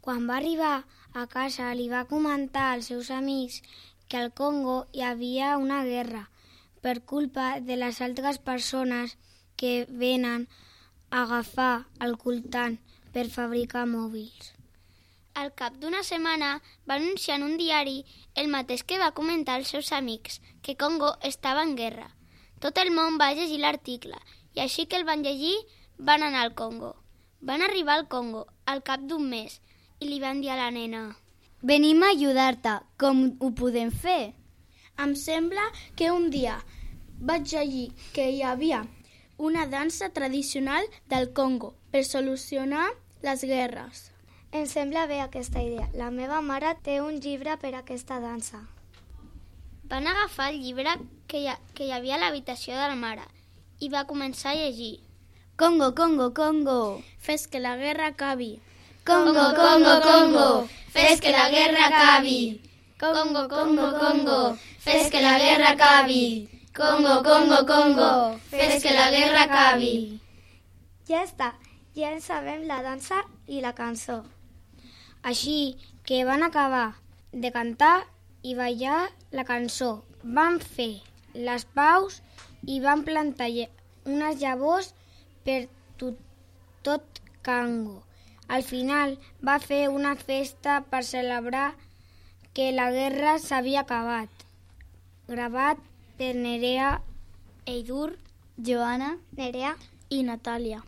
Quan va arribar a casa li va comentar als seus amics que al Congo hi havia una guerra per culpa de les altres persones que venen a agafar el coltan per fabricar mòbils. Al cap d'una setmana va anunciar en un diari el mateix que va comentar als seus amics, que Congo estava en guerra. Tot el món va llegir l'article i així que el van llegir van anar al Congo. Van arribar al Congo al cap d'un mes i li van dir a la nena: «Venim a ajudar-te, com ho podem fer?» Em sembla que un dia vaig llegir que hi havia una dansa tradicional del Congo per solucionar les guerres. Em sembla bé aquesta idea. La meva mare té un llibre per aquesta dansa. Van agafar el llibre que hi havia a l'habitació de la mare i va començar a llegir. Congo, Congo, Congo, Fes que la guerra acabi. Congo, Congo, Congo, fes que la guerra acabi. Congo, Congo, Congo, fes que la guerra acabi. Congo, Congo, Congo, fes que la guerra acabi. Ja està, ja en sabem la dansa i la cançó. Així que van acabar de cantar i ballar la cançó. Van fer les paus i van plantar unes llavors per tot Congo. Al final va fer una festa per celebrar que la guerra s'havia acabat. Gravat per Nerea, Eidur, Joana Nerea I Natàlia.